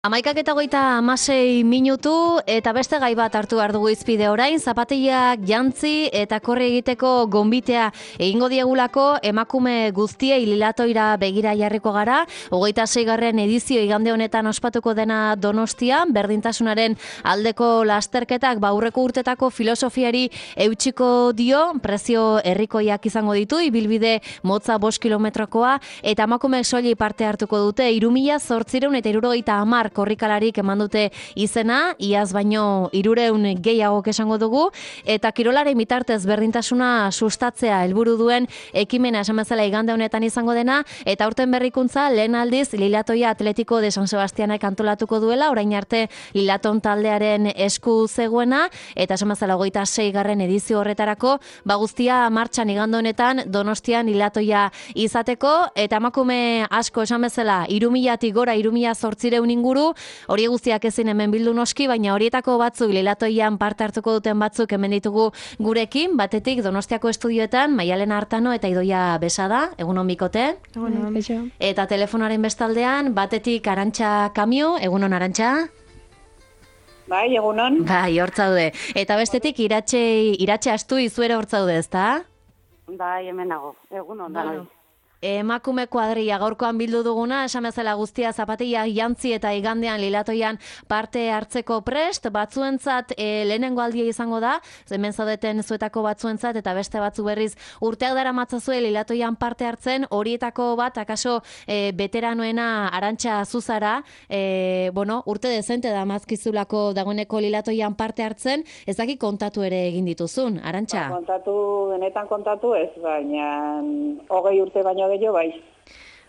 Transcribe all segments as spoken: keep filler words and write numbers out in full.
Amaikak eta goita amasei minutu eta beste gai bat hartu behar dugu izpide orain, zapatillak jantzi eta korri egiteko gonbitea egingo diegulako emakume guztiei Lilatoira begira jarriko gara, hogeita seigarren edizio igande honetan ospatuko dena Donostian, berdintasunaren aldeko lasterketak baurreko urtetako filosofiari eutxiko dio, prezio herrikoiak izango ditu, ibilbide motza bost kilometrokoa eta emakumeek soili parte hartuko dute, hiru mila zortziehun eta hirurogeita hamar korrikalarik eman dute izena, iaz baino hirureun gehiago esango dugu, eta kirolaren bitartez berdintasuna sustatzea helburu duen ekimena esan bezala igande honetan izango dena, eta aurten berrikuntza lehen aldiz Lilatoia Atletiko de San Sebastianek antolatuko duela, orain arte Lilaton taldearen esku zegoena, eta esan bezala hogeita seigarren edizio horretarako, ba guztia martxan igande honetan Donostian Lilatoia izateko, eta emakume asko esan bezala hiru milatik gora hiru mila zortziehun inguru, hori guztiak ezin hemen bildu noski, baina horietako batzuk Lilatoian parte hartuko duten batzuk hemen ditugu gurekin, batetik Donostiako estudioetan Maialen Artano eta Idoia Besada, egunon bikote. Egunon, beixo. Eta telefonaren bestaldean, batetik Arantxa Kamio, egunon Arantxa. Bai, egunon. Bai, hortzaude. Eta bestetik Iratxe, Iratxe Astu izuere hortzaude, ezta? Bai, hemen nago. Egunon, danoi. Emakume kuadria gaurkoan bildu duguna, esan bezala guztia zapatilla jantzi eta igandean Lilatoian parte hartzeko prest, batzuentzat e, lehenengo aldia izango da, hemen zaudeten zuetako batzuentzat eta beste batzu berriz urteak dara matzazue Lilatoian parte hartzen, horietako bat, akaso e, veteranoena Arantxa Zuzara, e, bueno, urte dezente da mazkizulako dagoeneko Lilatoian parte hartzen, ez daki kontatu ere egin dituzun, Arantxa? Ba, kontatu, benetan kontatu ez, baina hogei urte baino gehiago bai.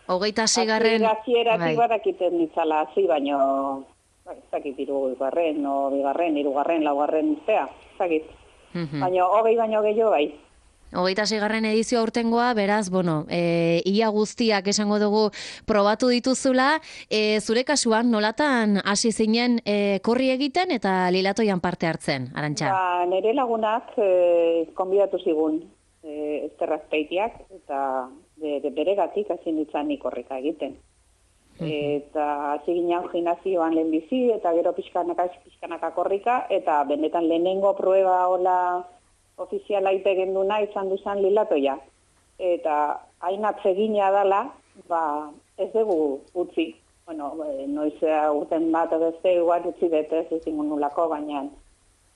Hogeita seigarren... Hasieratik badakiten ditzala hasi, baino ez dakit hirugarren, o bigarren, hirugarren, laugarren urtea, ez dakit. Baina hogei baino gehiago bai. Hogeita seigarren edizio aurtengoa, beraz, bueno, e, ia guztiak esango dugu probatu dituzula, e, zure kasuan nolatan hasi zinen e, korri egiten eta Lilatoian parte hartzen, Arantxa? Ba, nire lagunak e, konbidatu zigun e, Ester Azpeitiak, eta bere, beregatik hasi nintzen nik korrika egiten. Eta hasi ginen gimnasioan lehen bizi, eta gero pixkanaka, pixkanaka korrika, eta benetan lehenengo prueba hola ofiziala egin duna izan duzan Lilatoia. Eta hain atsegina dala, ba, ez dugu utzi. Bueno, noizea urten bat beste igual utzi bete ez izango nulako, baina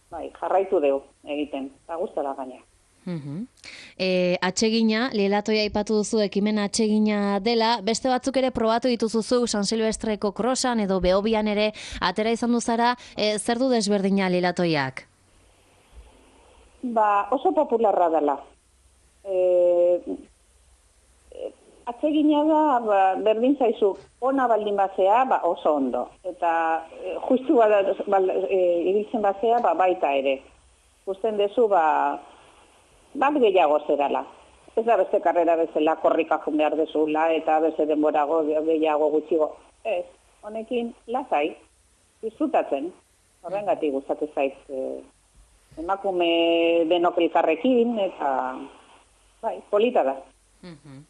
bai, jarraitu dugu egiten, eta gustara gaina. Uh-huh. E, atsegina, Lilatoia aipatu duzu ekimen atsegina dela, beste batzuk ere probatu dituzuzu San Silvestreko krosan edo Behobian ere atera izan duzara, e, zer du desberdina Lilatoiak? Ba, oso popularra dela. E, e, atsegina da, ba, berdin zaizu, ona baldin bazea, ba, oso ondo. Eta e, justu bada, ba, e, ibiltzen bazea, ba, baita ere. Gusten dezu, ba, bat gehiago zerala. Ez da beste karrera bezala korrika jun behar dezula, eta beste denborago gehiago gutxigo. Ez, honekin lasai, disfrutatzen. Horrengatik gustatu zait, e, emakume denok elkarrekin, eta bai, polita da. Uh-huh.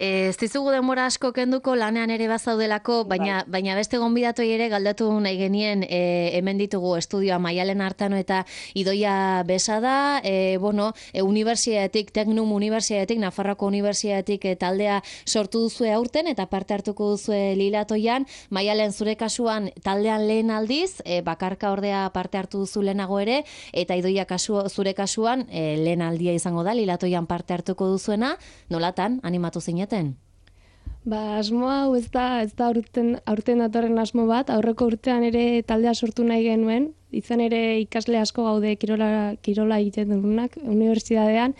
Ez dizugu denbora asko kenduko lanean ere bazaudelako, baina, baina beste gonbidatoi ere galdatu nahi genien e, hemen ditugu estudioa Maialen Artano eta Idoia Besada, e, bueno, e, Unibertsitatetik, Teknum Unibertsitatetik, Nafarroako Unibertsitatetik e, taldea sortu duzue aurten eta parte hartuko duzue Lilatoian. Maialen, zure kasuan taldean lehen aldiz, e, bakarka ordea parte hartu duzu lehenago ere, eta Idoia kasu, zure kasuan e, lehen aldia izango da Lilatoian parte hartuko duzuena, nolatan animatu zineten? Ba, asmoa hau ez da, ez da aurten, aurten datorren asmo bat, aurreko urtean ere taldea sortu nahi genuen, izan ere ikasle asko gaude kirola, kirola egiten dugunak, unibertsitatean,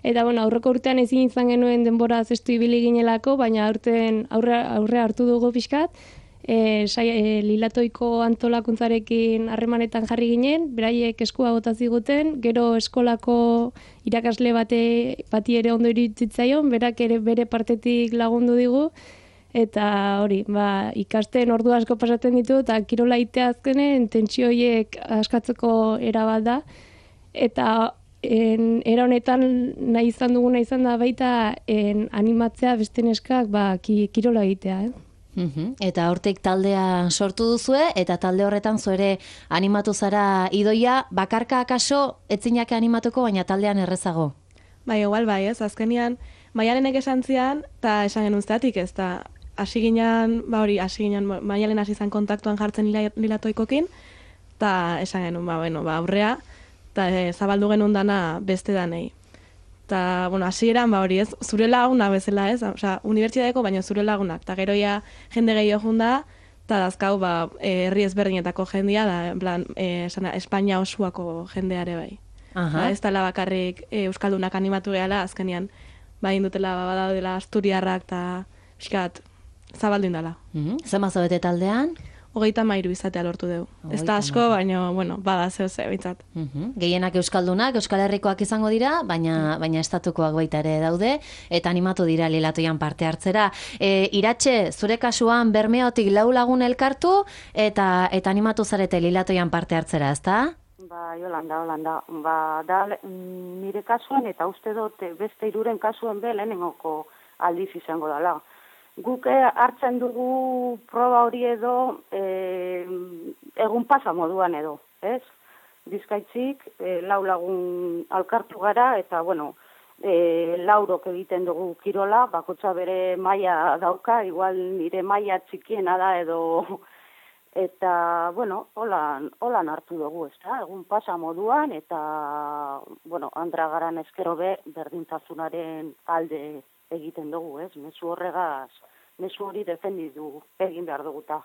eta bueno, aurreko urtean ezin izan genuen denbora zestu ibili ginelako, baina aurten aurre, aurre hartu dugu pixkat, e, sai, e, Lilatoiko antolakuntzarekin harremanetan jarri ginen, beraiek eskua bota ziguten, gero eskolako irakasle bate, bati ere ondo iritsitzaion, berak ere bere partetik lagundu digu, eta hori, ba, ikasten ordu asko pasatzen ditu, eta kirola itea azkenen tentsio horiek askatzeko era bat da, eta en, era honetan nahi izan duguna izan da baita en, animatzea beste neskak ba, ki, kirola egitea, eh? Uhum. Eta hortik taldea sortu duzue, eta talde horretan zu ere animatu zara Idoia, bakarka akaso etzinak animatuko, baina taldean errezago. Bai, igual bai, ez, azkenian, Maialenek esan zian, eta esan genuen zeratik, ez, eta hasi ginean, ba hori, hasi ginean, Maialen hasi zan kontaktuan jartzen lila, lilatoikokin, eta esan genuen, ba, bueno, ba, aurrea, eta e, zabaldu genuen dana beste danei. Eta, bueno, hasieran ba hori ez, zure laguna bezala ez, osea, unibertsitateko, baina zure lagunak, eta geroia jende gehiago junda, eta dazkau, ba, e, herri ezberdinetako jendia, da, en plan, e, sana, Espainia osuako jendeare bai. Aha. Ba, ez dela bakarrik e, Euskaldunak animatu gehala, azkenian, ba, indutela, ba, badaudela asturiarrak, eta pixkat, zabaldin dela. Uhum. Zema zaudete taldean? Hogeita mairu izatea lortu dugu. Ez da asko, baina, bueno, bada zeu ze, bintzat. Uhum. Gehienak Euskaldunak, Euskal Herrikoak izango dira, baina baina estatukoak baita ere daude, eta animatu dira Lilatoian parte hartzera. E, Iratxe, zure kasuan Bermeotik lau lagun elkartu, eta eta animatu zarete Lilatoian parte hartzera, ezta? Ba, Yolanda, Yolanda, ba, da, nire kasuan, eta uste dut beste hiruren kasuen be lehenengoko aldiz izango dela. Guk hartzen dugu proba hori edo e, egun pasa moduan edo, ez? Bizkaitzik, e, lau lagun alkartu gara, eta, bueno, e, laurok egiten dugu kirola, bakotza bere maila dauka, igual nire maila txikiena da edo, eta, bueno, holan, holan hartu dugu, ez da? Egun pasa moduan, eta, bueno, Andra garan ezkero be, berdintasunaren alde egiten dugu, ez? Mezu horregaz, mezu hori defendidu egin behar duguta.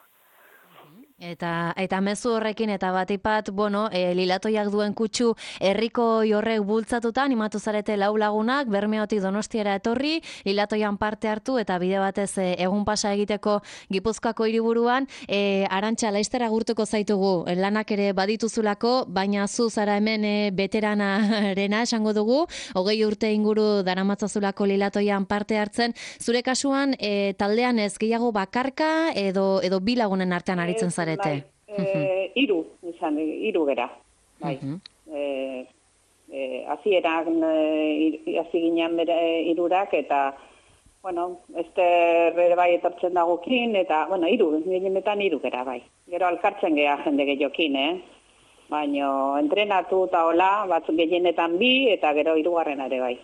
Eta eta mezu horrekin eta batipat, bueno, e, Lilatoiak duen kutsu herriko horrek bultzatuta animatu zarete lau lagunak Bermeotik Donostiara etorri, Lilatoian parte hartu eta bide batez e, egun pasa egiteko Gipuzkoako hiriburuan, e, Arantxa laiztera gurtuko zaitugu, lanak ere badituzulako, baina zu zara hemen e, veteranarena esango dugu, hogei urte inguru daramatzazulako Lilatoian parte hartzen, zure kasuan e, taldean ez gehiago bakarka edo edo bi lagunen artean aritzen zara. Bai, e, iru, izan, iru gera, bai. Uh-huh. E, e, azieran, e, azi ginean bere irurak, eta, bueno, este bere bai etortzen dagokin, eta, bueno, iru, gehienetan iru gera, bai. Gero alkartzen geha jende gehiokin, eh? Baina entrenatu eta hola, batzuk gehienetan bi, eta gero irugarren ere bai.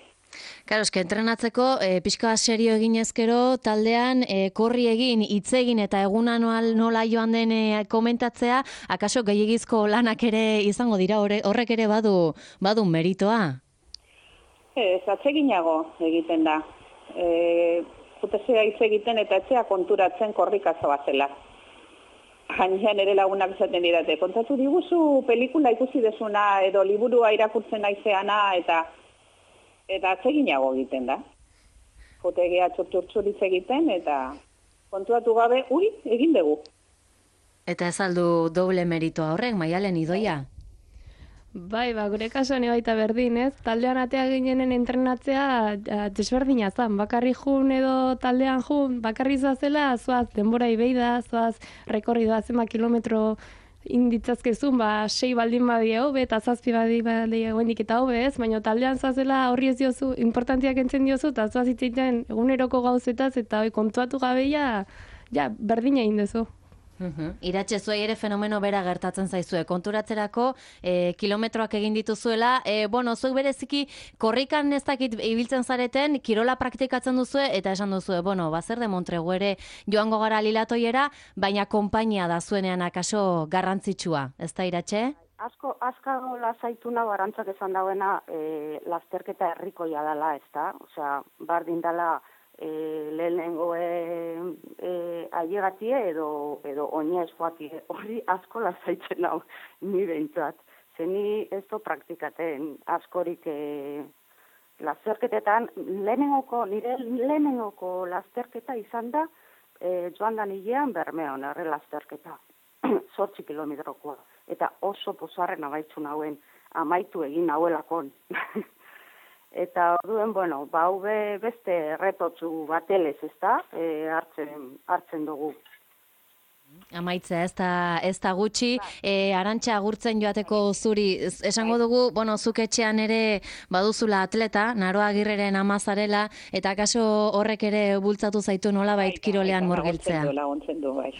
Claro, eske entrenatzeko e, pixka serio egin ezkero taldean e, korri egin, hitz egin eta eguna nola joan den e, komentatzea, akaso gehiagizko lanak ere izango dira, horrek ere badu badu meritoa? Ez, atseginago egiten da. E, Jutezea hitz egiten eta etxea konturatzen korrikazo bazela. Jainean ere lagunak esaten didate, kontatu diguzu pelikula ikusi desuna edo liburua irakurtzen naizeana eta eta atseginago egiten da. Jotegea txurtxurtzuritz egiten, eta kontuatu gabe, ui, egin dugu. Eta ez aldu doble meritoa horrek, Maialen, Idoia? Bai, ba, gure kasuan baita berdin, ez? Taldean atea ginenen entrenatzea desberdina zan. Bakarri jun edo taldean jun, bakarri zazela, zoaz denbora ibeida, zoaz rekorridoa zema kilometro inditzazkezun, ba, sei baldin badie hobe, eta zazpi badi badie goendik eta hobe, ez? Baina taldean zazela horri ez diozu, importantiak entzen diozu, eta zoaz itzaiten eguneroko gauzetaz, eta hoi kontuatu gabeia, ja, berdina egin dezu. Uhum. Iratxe, zuei ere fenomeno bera gertatzen zaizue. Konturatzerako e, kilometroak egin dituzuela. E, bueno, zuek bereziki korrikan ez dakit ibiltzen zareten, kirola praktikatzen duzue, eta esan duzue, bueno, bazer de Montregu ere joango gara Lilatoiera, baina konpainia da zuenean akaso garrantzitsua. Ez da, Iratxe? Asko, asko lasaitu nago Arantzak esan dauena e, lasterketa herrikoia dela, ez da? Osea, bardin dela E, lehenengo e, e, ailegatie edo, edo oinez joatie. Horri asko lasaitzen hau ni behintzat. Zeni ez do praktikaten askorik e, lasterketetan, lehenengoko, nire lehenengoko lasterketa izan da e, joan da nilean Bermeon, erre lasterketa. Zortzi kilometrokoa. Eta oso pozarren abaitzu nauen, amaitu egin nauelakon. Eta orduen, bueno, ba, hube beste retotzu batelez, ez da, e, hartzen, hartzen dugu. Amaitzea, ez da, ez da gutxi, e, Arantxa agurtzen joateko zuri, esango dugu, bueno, zuk etxean ere baduzula atleta, Naroa Agirreren ama zarela, eta kaso horrek ere bultzatu zaitu nolabait kirolean murgiltzea. Laguntzen du, bai.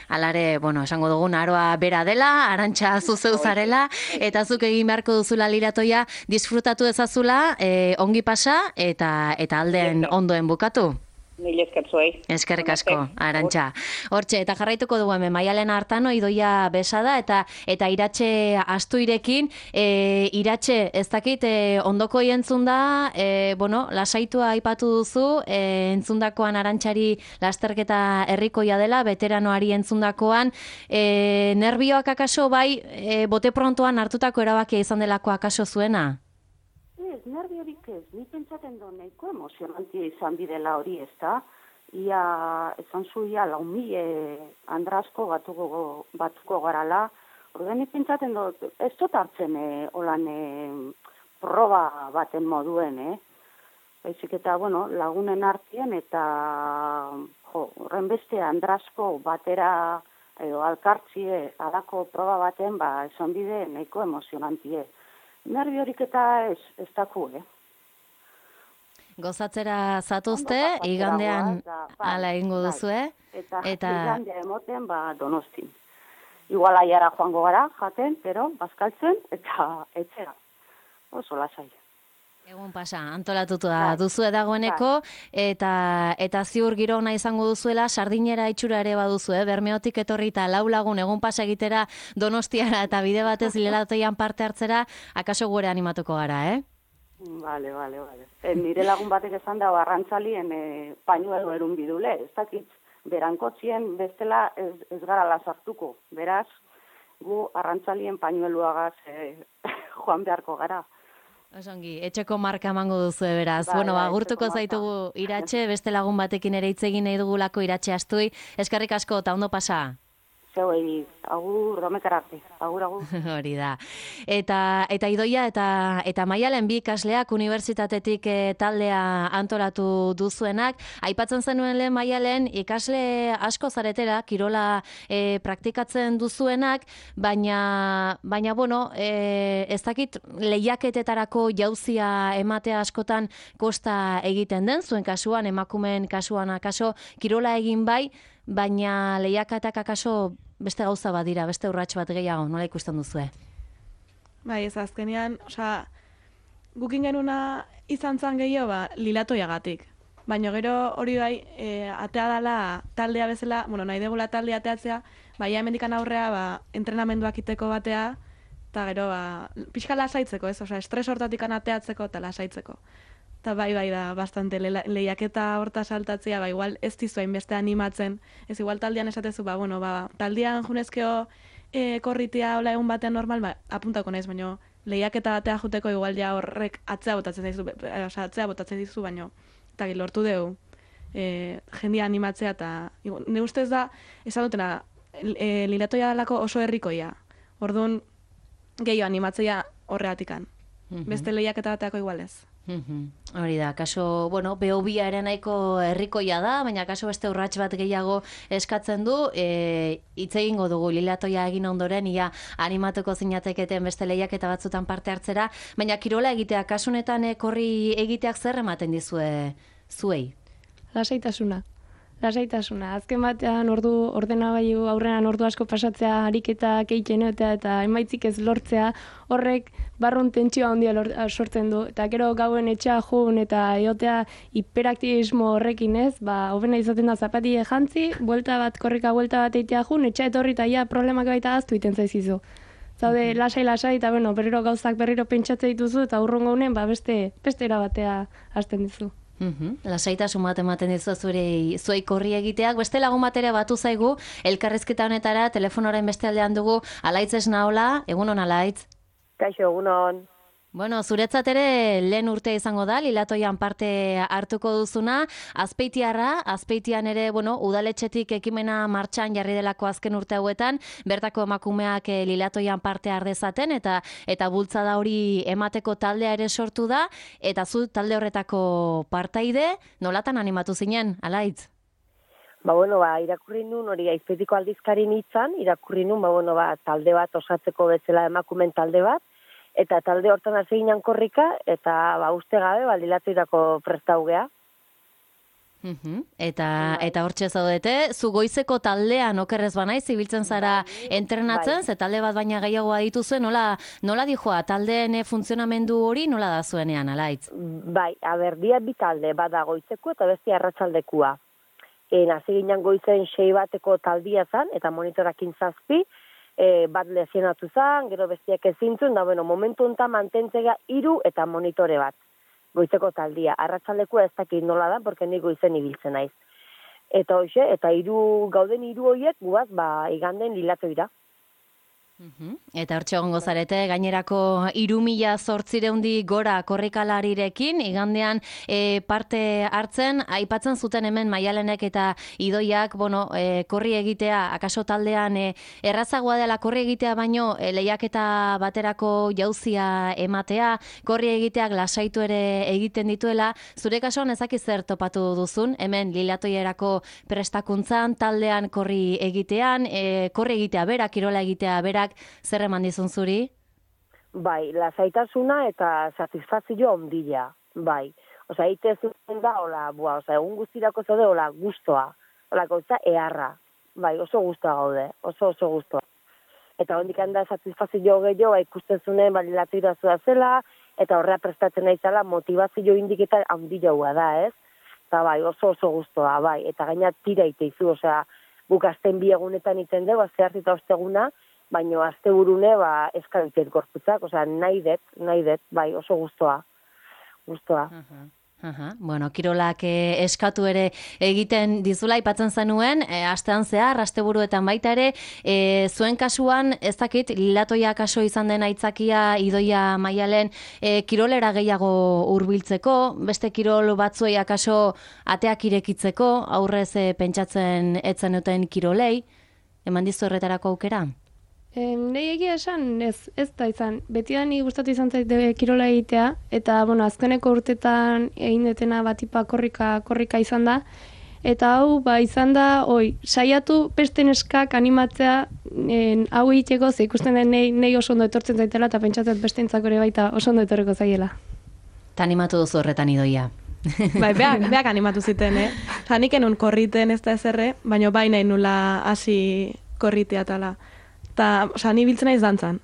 Alare, bueno, esango dugu Naroa bera dela, Arantxa zuzeu zarela, eta zuk egin beharko duzula liratoia, disfrutatu ezazula, e, ongi pasa, eta, eta aldean ondoen bukatu. Mil eskertzuei. Eskerrik asko, Arantxa. Hortxe, eta jarraituko dugu hemen, Maialen Artano, Idoia Besada, eta eta Iratxe Astuirekin, e, Iratxe, ez dakit, e, ondoko entzun da, e, bueno, lasaitua aipatu duzu, e, entzundakoan Arantxari lasterketa herrikoia dela, veteranoari entzundakoan, e, nervioak akaso bai, e, bote prontoan hartutako erabakia izan delako akaso zuena? Ez, nerviorik ez, ni pentsaten do nahiko emozionantia izan bidela hori, ez da? Ia, esan zu, ia, lau mila andrasko batuko, batuko garala. Horren, ni pentsaten do, ez dut hartzen eh, holan eh, proba baten moduen, eh? Baizik eta, bueno, lagunen artien eta, jo, horren beste andrasko batera, edo alkartzie, alako proba baten, ba, esan bide nahiko emozionantie. Nerviorik eta ez, ez daku, eh? Gozatzera zatuzte, igandean ala egingo duzue. Eta, eta igandea emoten, ba, Donostin. Igual aiara joango gara, jaten, pero, bazkaltzen, eta etxera. Oso lasai. Egun pasa, antolatutu da duzue dagoeneko, eta eta ziur giro ona izango duzuela, sardinera itxura ere baduzu, eh? Bermeotik etorri eta lau lagun egun pasa egitera Donostiara eta bide batez lilatoian parte hartzera, akaso gure animatuko gara, eh? Vale, vale, vale. E, nire lagun batek esan da arrantzalien e, pañuelo erun bidule, ez dakit, berankotzien bestela ez, ez gara lasartuko, beraz, gu arrantzalien pañueluagaz e, joan beharko gara. Osongi, etxeko marka emango duzu beraz. Bai, bueno, bai, agurtuko zaitugu Iratxe, beste lagun batekin ere hitz egin nahi dugulako Iratxe Astui. Eskerrik asko, eta ondo pasa. Zeuei, agur, domekararte, agur, agur. Hori da. Eta, eta Idoia eta, eta Maialen bi ikasleak unibertsitatetik e, taldea antolatu duzuenak. Aipatzen zenuen lehen Maialen, ikasle asko zaretela, kirola e, praktikatzen duzuenak, baina, baina bueno, e, ez dakit lehiaketetarako jauzia ematea askotan kosta egiten den, zuen kasuan, emakumeen kasuan akaso, kirola egin bai, baina lehiaketak akaso beste gauza bat dira, beste urrats bat gehiago, nola ikusten duzue? Bai, ez azkenean, osea, gukin genuna izan zan gehiago, ba, lilatoiagatik. Baina gero hori bai, e, atea dela taldea bezala, bueno, nahi degula taldea ateatzea, bai, hemendikan aurrea, ba, entrenamenduak iteko batea, eta gero, ba, pixka lasaitzeko, ez? Osea, estres hortatik ateatzeko eta lasaitzeko. Eta bai, bai da, bastante le, lehiaketa horta saltatzea, ba, igual ez dizuain beste animatzen. Ez igual taldean esatezu, ba, bueno, ba, taldean junezkeo e, korritea hola egun batean normal, ba, apuntako naiz, baina lehiaketa batea juteko igual ja horrek atzea botatzen dizu, osea, atzea botatzen dizu, baina, eta lortu dugu, e, jendia animatzea, eta, ne ustez da, esan dutena, e, lilatoia dalako oso herrikoia. Orduan, gehiago animatzea horreatikan. Mm-hmm. Beste lehiaketa bateako igual ez. Mm-hmm. Hori da, kaso, bueno, behobia ere nahiko herrikoia da, baina kaso beste urrats bat gehiago eskatzen du, e, hitz egingo dugu lilatoia egin ondoren, ia animatuko zinateketen beste lehiaketa batzutan parte hartzera, baina kirola egitea, kasunetan e, korri egiteak zer ematen dizue zuei? Lasaitasuna. Lasaitasuna. Azken batean ordu ordenagailu aurrean ordu asko pasatzea ariketak egiten eta eta emaitzik ez lortzea, horrek barrun tentsioa handia sortzen du. Eta gero gauen etxea jun eta egotea hiperaktivismo horrekin, ez? Ba, hobena izaten da zapatie jantzi, buelta bat korrika buelta bat egitea jun, etxea etorri eta ja problemak baita aztu iten zaizizu. Zaude, lasai lasai eta bueno, berriro gauzak berriro pentsatze dituzu eta urrungo honen ba beste beste erabatea hasten dizu. Mm-hmm. Lasaitasun bat ematen dizu zure zuei korri egiteak. Beste lagun bat ere batu zaigu, elkarrizketa honetara, telefonoren beste aldean dugu, Alaitz Esnaola, egun hon Alaitz. Kaixo, egun hon. Bueno, zuretzat ere lehen urte izango da, lilatoian parte hartuko duzuna, Azpeitiarra, Azpeitian ere, bueno, udaletxetik ekimena martxan jarri delako azken urte hauetan, bertako emakumeak lilatoian parte har dezaten eta eta bultzada hori emateko taldea ere sortu da, eta zu talde horretako partaide, nolatan animatu zinen, Alaitz? Ba, bueno, ba, irakurri nun, hori Aizpetiko aldizkarin hitzan, irakurri nun, ba, bueno, ba, talde bat osatzeko bezala emakumen talde bat, eta talde hortan hasi ginen korrika, eta ba, uste gabe, ba, dilatoirako prestaugea. Uhum. Eta eta hortxe zaudete, zu goizeko taldean okerrez banaiz, ibiltzen zara entrenatzen, ze talde bat baina gehiago badituzue, nola, nola dijoa, taldeen funtzionamendu hori nola da zuenean, alaitz? Bai, aber, dia bi talde, bada goizeko eta beste arratsaldekua. En, hasi ginen goizen sei bateko taldia zan, eta monitorakin zazpi, e, bat lesionatu zan, gero bestiak ezintzun, da, bueno, momentu enta mantentzea hiru eta monitore bat. Goizeko taldia. Arratsaldekua ez dakit nola da, porque ni goizen ibiltzen naiz. Eta hoxe, eta hiru gauden hiru hoiek guaz, ba, iganden lilatoira. Uhum. Eta hortxe egongo zarete, gainerako hiru mila zortzireundi gora korrikalarirekin, igandean e, parte hartzen, aipatzen zuten hemen Maialenek eta Idoiak, bueno, e, korri egitea, akaso taldean e, errazagoa dela korri egitea baino, e, lehiaketa baterako jauzia ematea, korri egiteak lasaitu ere egiten dituela, zure kasuan ezaki zer topatu duzun, hemen lilatoierako prestakuntzan, taldean korri egitean, e, korri egitea berak, kirola egitea berak, zer eman dizun zuri? Bai, lasaitasuna eta satisfazio ondila, bai. Osa, ite zuten da, hola, bua, osa, egun guztirako zaude, hola, gustoa, hola, gauza, eharra, bai, oso gustoa gaude, oso oso gustoa. Eta hondik handa satisfazio gehiago, ba, ikusten zuen, balilatu irazua zela, eta horrea prestatzen naizela, motivazio indiketa ondila da, ez? Eta bai, oso oso gustoa, bai, eta gaina tira iteizu, osea, guk azten bi egunetan iten dugu, azte hartita osteguna, baina azte burune, ba, eskabitet gorputzak, osea, nahi det, nahi det, bai, oso gustoa, gustoa. Uh-huh. Aha, bueno, kirolak eh, eskatu ere egiten dizula aipatzen zenuen, eh, astean zehar, asteburuetan baita ere, eh, zuen kasuan, ez dakit, lilatoia kaso izan den aitzakia, Idoia Maialen, eh, kirolera gehiago hurbiltzeko, beste kirol batzuei akaso ateak irekitzeko, aurrez eh, pentsatzen etzen duten kirolei, eman dizu horretarako aukera? Nei egia esan, ez, ez da izan. Beti da ni gustatu izan zaite kirola egitea, eta, bueno, azkeneko urtetan egin detena batipa korrika, korrika izan da, eta hau, ba, izan da, oi, saiatu beste neskak animatzea en, hau egiteko, ze ikusten den nei, nei oso ondo etortzen zaitela, eta pentsatzen bestentzako ere baita oso ondo etorreko zaiela. Ta animatu duzu horretan Idoia. Bai, beak, beak animatu ziten, eh? Zanik enun korriten ez da ezerre, baina bai nahi nula hasi korritea tala. Ta, oza, ni biltzen naiz dantzan.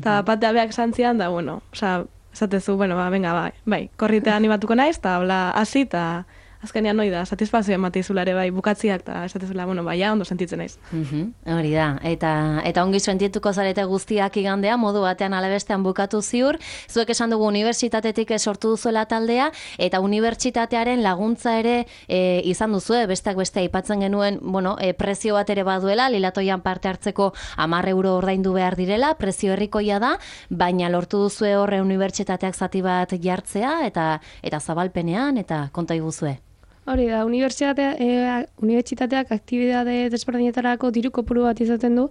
Ta batea beak santzian, da, bueno, oza, esatezu, bueno, ba, venga, bai, bai, korritea animatuko naiz, ta, hola, hasi, ta, azkenean noi da, satisfazio ematizula ere, bai, bukatziak, ta, esatezula, bueno, bai, ja, ondo sentitzen naiz. Uhum, hori da, eta, eta ongi sentituko zarete guztiak igandea, modu batean alebestean bukatu ziur, zuek esan dugu unibertsitatetik sortu duzuela taldea, eta unibertsitatearen laguntza ere e, izan duzue, besteak beste aipatzen genuen, bueno, e, prezio bat ere baduela, lilatoian parte hartzeko hamar euro ordaindu behar direla, prezio herrikoia da, baina lortu duzue horre unibertsitateak zati bat jartzea, eta, eta zabalpenean, eta konta iguzue. Hori da, unibertsitatea, e, unibertsitateak aktibidade desberdinetarako diru kopuru bat izaten du,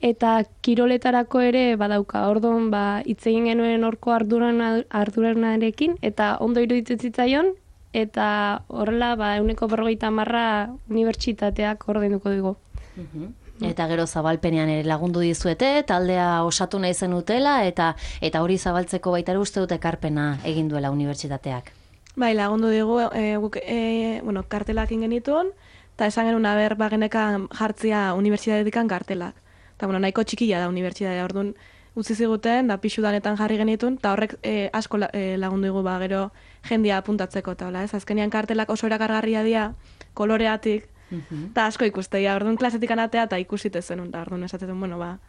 eta kiroletarako ere badauka. Orduan, ba, hitz egin genuen horko arduran, arduranarekin, eta ondo iruditzen zitzaion, eta horrela, ba, ehuneko berrogeita hamarra unibertsitateak ordainduko dugu. Mhm. Eta gero zabalpenean ere lagundu dizuete, taldea osatu nahi zenutela, eta eta hori zabaltzeko baita ere uste dute ekarpena egin duela unibertsitateak. Bai, lagundu digu, e, guk, e, bueno, kartelak ingenituen, eta esan genuen aber bagenekan jartzia unibertsitatekan kartelak. Eta, bueno, nahiko txikia da unibertsitatea, orduan utzi ziguten, da pixu danetan jarri genituen, eta horrek e, asko e, lagundu digu, ba, gero jendia apuntatzeko, eta hola, ez? Azkenean kartelak oso erakargarria dira, koloreatik, eta asko ikusteia, orduan klasetik anatea, eta ikusite zenun, da, orduan esatzen, bueno, ba,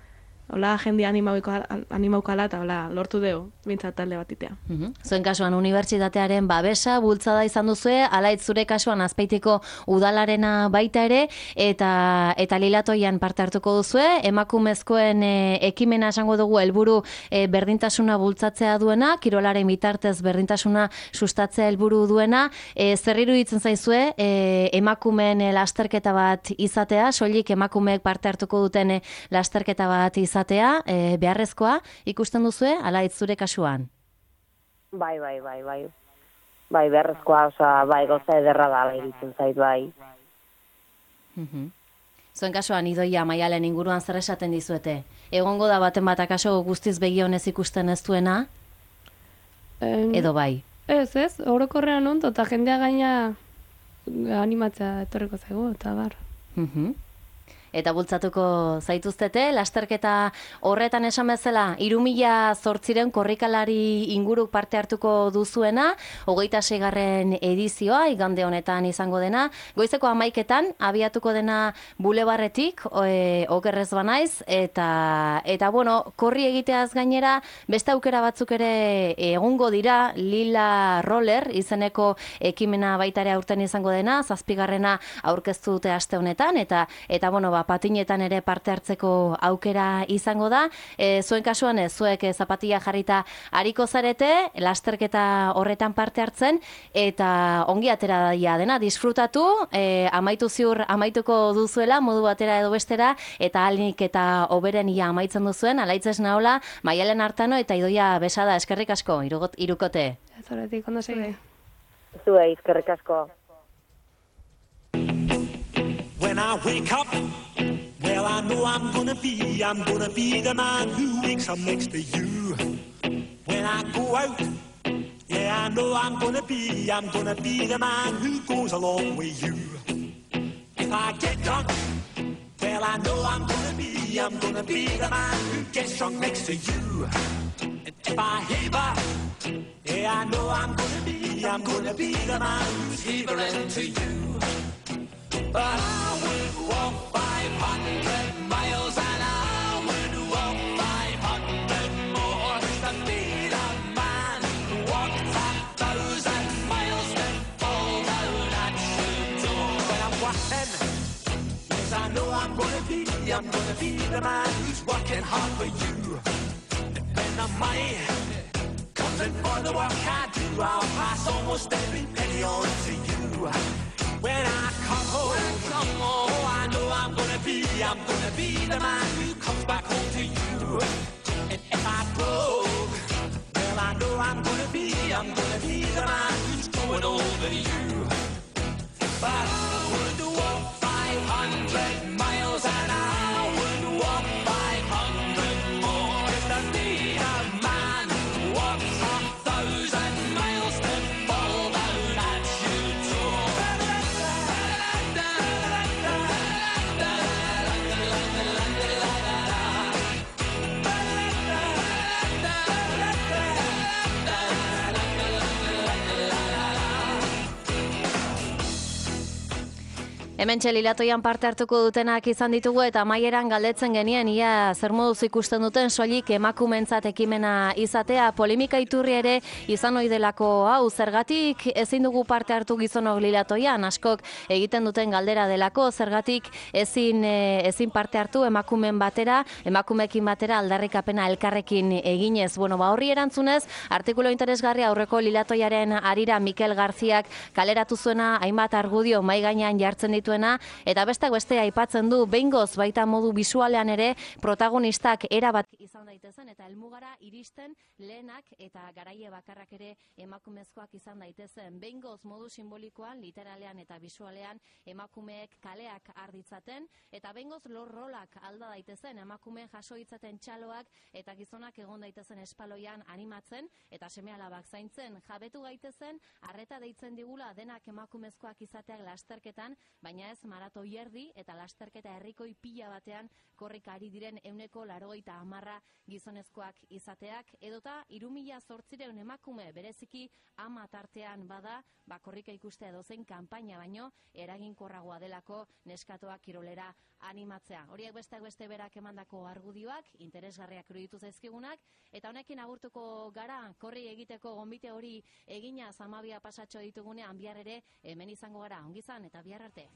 hola, jendia animaukala eta hola, lortu dugu, bintzat talde bat itea. Uhum. Zuen kasuan unibertsitatearen babesa, bultzada izan duzue, alaitz zure kasuan Azpeitiko udalarena baita ere, eta eta lilatoian parte hartuko duzue, emakumezkoen e, ekimena esango dugu helburu e, berdintasuna bultzatzea duena, kirolaren bitartez berdintasuna sustatzea helburu duena, e, zer iruditzen zaizue, e, emakumeen e, lasterketa bat izatea, soilik emakumeek parte hartuko duten e, lasterketa bat izatea, e, beharrezkoa ikusten duzue, ala zure kasuan? Bai, bai, bai, bai. Bai, beharrezkoa, oza, bai, goza ederra da, bai, iruditzen zait, bai. Zuen kasuan, Idoia, Maialen inguruan zer esaten dizuete? Egongo da baten bat akaso guztiz begionez ikusten ez duena? Em, Edo bai? Ez, ez, orokorrean ondo, eta jendea gaina animatzea etorriko zaigu, eta bar. Mhm. Eta bultzatuko zaituztete, lasterketa horretan esan bezala, hiru mila zortziren korrikalari inguru parte hartuko duzuena, hogeita seigarren edizioa, igande honetan izango dena, goizeko hamaiketan, abiatuko dena bulebarretik, e, okerrez banaiz, eta, eta bueno, korri egiteaz gainera, beste aukera batzuk ere egungo dira, Lila Roller, izeneko ekimena baitare aurten izango dena, zazpigarrena aurkeztu dute aste honetan, eta, eta bueno, patinetan ere parte hartzeko aukera izango da. E, zuen kasuan ez, zuek zapatilla jarrita ariko zarete, lasterketa horretan parte hartzen, eta ongi atera daia dena, disfrutatu, e, amaitu ziur amaituko duzuela, modu batera edo bestera, eta alnik eta oberen ia amaitzen duzuen, alaitzez nahola, Maialen Artano eta Idoia Besada, eskerrik asko, irugot, irukote. Ez horretik, ondo zure. Zuei, eskerrik asko. When I wake up, well, I know I'm gonna be, I'm gonna be the man who wakes up next to you. When I go out, yeah, I know I'm gonna be, I'm gonna be the man who goes along with you. If I get drunk, well, I know I'm gonna be, I'm gonna be the man who gets drunk next to you. And if I heaver, yeah, I know I'm gonna be, I'm gonna be the man who's heavering to you. But I would walk five hundred miles and I would walk five hundred more to be the man who walked a thousand miles to fall down at your door. When I'm walking, yes, I know I'm gonna be, I'm gonna be the man who's working hard for you. And when the money comes in for the work I do, I'll pass almost every penny on to you. When I come home, come home, oh, I know I'm gonna be, I'm gonna be the man who comes back home to you. And if I broke, well, I know I'm gonna be, I'm gonna be the man who's going over you. But I would walk five hundred miles and I would walk five hundred more to be the man who walks a thousand miles to fall down at your door. Hemen txelilatoian parte hartuko dutenak izan ditugu eta amaieran galdetzen genien ia zer moduz ikusten duten soilik emakumentzat ekimena izatea, polemika iturri ere izan ohi delako hau, zergatik ezin dugu parte hartu gizonok lilatoian, askok egiten duten galdera delako, zergatik ezin, ezin parte hartu emakumen batera, emakumekin batera aldarrikapena elkarrekin eginez. Bueno, ba horri erantzunez, artikulu interesgarria aurreko lilatoiaren arira Mikel Garziak kaleratu zuena hainbat argudio mai gainean jartzen ditu eta bestak beste aipatzen du behingoz baita modu bisualean ere protagonistak erabat izan daitezen eta helmugara iristen lehenak eta garaie bakarrak ere emakumezkoak izan daitezen. Behingoz modu simbolikoan, literalean eta bisualean emakumeek kaleak arditzaten eta behingoz lor rolak alda daitezen emakumeen jaso ditzaten txaloak eta gizonak egon daitezen espaloian animatzen eta seme-alabak zaintzen. Jabetu gaitezen, arreta deitzen digula denak emakumezkoak izateak lasterketan, baina ez maratoi erdi eta lasterketa herrikoi pila batean korrika ari diren ehuneko laurogeita hamarra gizonezkoak izateak, edota hiru mila zortziehun emakume bereziki ama tartean bada, ba korrika ikustea edozein kanpaina baino eraginkorragoa delako neskatoak kirolera animatzea. Horiek besteak beste berak emandako argudioak, interesgarriak iruditu zaizkigunak, eta honekin agurtuko gara, korri egiteko gonbite hori egina zamabia pasatxo ditugunean bihar ere hemen izango gara, ongizan eta bihar arte.